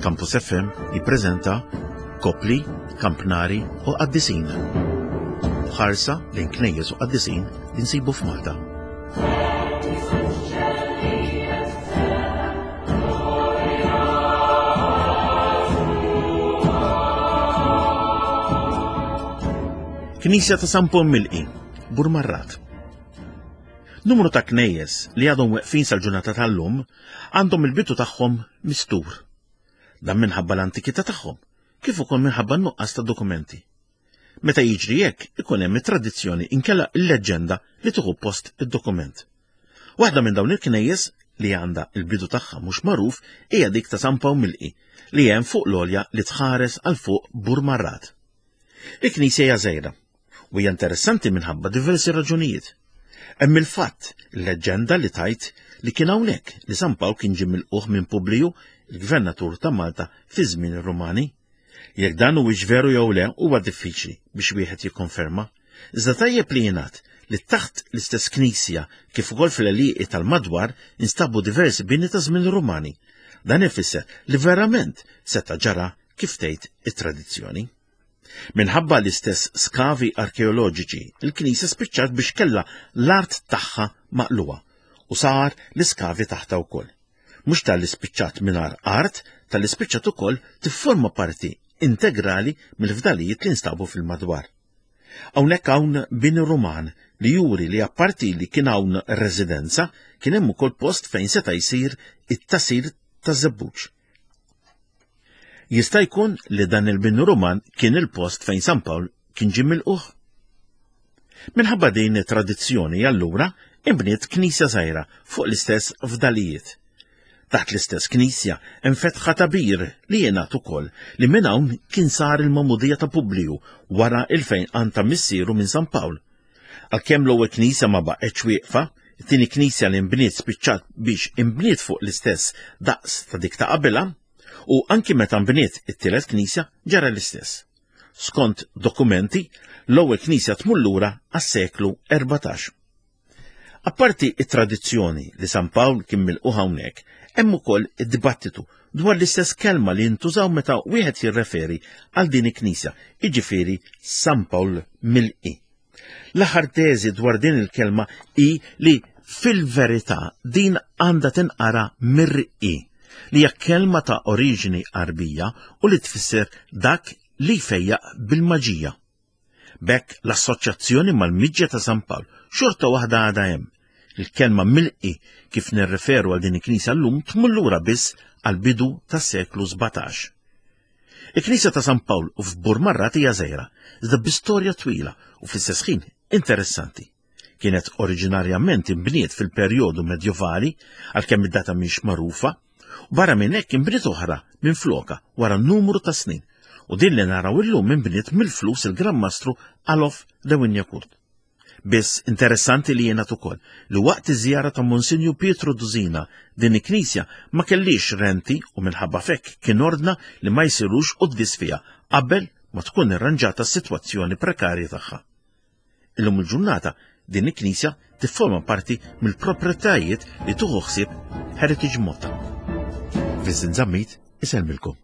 Campus FM jippreżenta Kopli, Kampnari u Qaddisin. Ħarsa lejn knejjes u qaddisin li nsibu f'Malta. Knisja ta' San Paul Milqi, Burmarrat. Numru ta' knejjes li għadhom weqfin sal-ġurnata tal-lum għandhom il-bidu tagħhom mistur. Dan minħabba l-antikità tagħhom, kif ukoll minħabba n-nuqqas ta' dokumenti. Meta jiġri hekk, ikun hemm it-tradizzjoni inkella l-leġġenda li tieħu post id-dokument. Waħda minn dawn il-knejjes li għandha il-bidu tagħha mhux magħruf hija dik ta' San Pawl Milqi li hemm fuq l-għolja li tħares għal fuq Burmarrat. Il-knisja hija żgħira u hija interessanti minħabba diversi raġunijiet. Hemm il-fatt, leġġenda li tajt li kien hawnhekk li San Pawl kien ġie milquh minn Publiju, il-gvernatur ta' Malta fi żmien ir-Rumani. Jekk dan huwiex veru jew le huwa diffiċli biex wieħed jikkonferma. Iżda tajjeb li jingħad li taħt l-istess knisja kif ukoll fl-għelieqi tal-madwar instabu diversi bini ta' żmien Rumani. Dan ifisser li verament seta' ġara kif tgħid it-tradizzjoni. Minħabba l-istess skavi arkeoloġiċi, il-knisja spiċċat biex kellha l-art tagħha maqluha u sar l-iskavi taħtha wkoll. Mhux talli spiċċat mingħajr art, talli spiċċat ukoll tifforma parti integrali mill-fdalijiet li nstabu fil-madwar. Hawnhekk hawn bini Ruman li juri li apparti li kien hawn residenza, kien hemm ukoll post fejn seta' jsir it-tasir taż-żebbuġ. Jista' jkun li dan il-bini Ruman kien il-post fejn San Pawl kien ġie milquh? Minħabba din it-tradizzjoni allura inbniet knisja żgħira fuq l-istess fdalijiet. Taħt l-istess knisja hemm fetħa ta' bir li jingħad ukoll li minn hawn kien sar il-magħmudija ta' Publiju wara il-fejqan ta' missieru minn San Pawl. Għalkemm l-ewwel knisja ma baqgħetx wieqfa, it-tieni knisja li nbniet spiċċat biex inbniet fuq l-istess daqs ta' dik ta' qabilha, u anki meta nbniet it-tielet knisja ġara l-istess. Skont dokumenti, l-ewwel knisja tmur lura għas-seklu 14. Apparti it-tradizzjoni li San Pawl kien milquh hawnhekk, hemm ukoll id-dibattitu dwar l-istess kelma li jintużaw meta wieħed jirreferi għal din il-knisja, jiġifieri San Pawl milqi. L-aħħar teżi dwar din il-kelma hi li fil-verità din għandha tinqara mirqi, li hija kelma ta' oriġini Għarbija u li tfisser dak li jfejjaq bil-maġija. B'hekk l-assoċjazzjoni mal-miġja ta' San Pawl xorta waħda għadha hemm. Il-kelma milqi kif nirreferu għal din il-knisja llum tmur lura biss għall-bidu tas-seklu 17. Il-Knisja ta' San Pawl f'Burmarrat hija żgħira, iżda bi storja twila u fl-istess ħin interessanti. Kienet oriġinarjament inbniet fil-perjodu medjovali, għalkemm id-data mhix magħrufa, u barra minn hekk inbniet oħra minn floka wara numru ta' snin, u din li naraw illum inbniet mill-flus il-Gran Mastru Alof de Wignacourt. Biss interessanti li jingħad ukoll li waqt iż-żjara ta' Monsinju Pietru Duzina din il-knisja ma kellix renti u minħabba f'hekk kien ordna li ma jsirux quddies fiha qabel ma tkun irranġata s-sitwazzjoni prekarja tagħha. Illum il-ġurnata din il-knisja tifforma parti mill-proprjetajiet li tuħu ħsieb Heritage Malta. Vincent Zammit isellmilkom.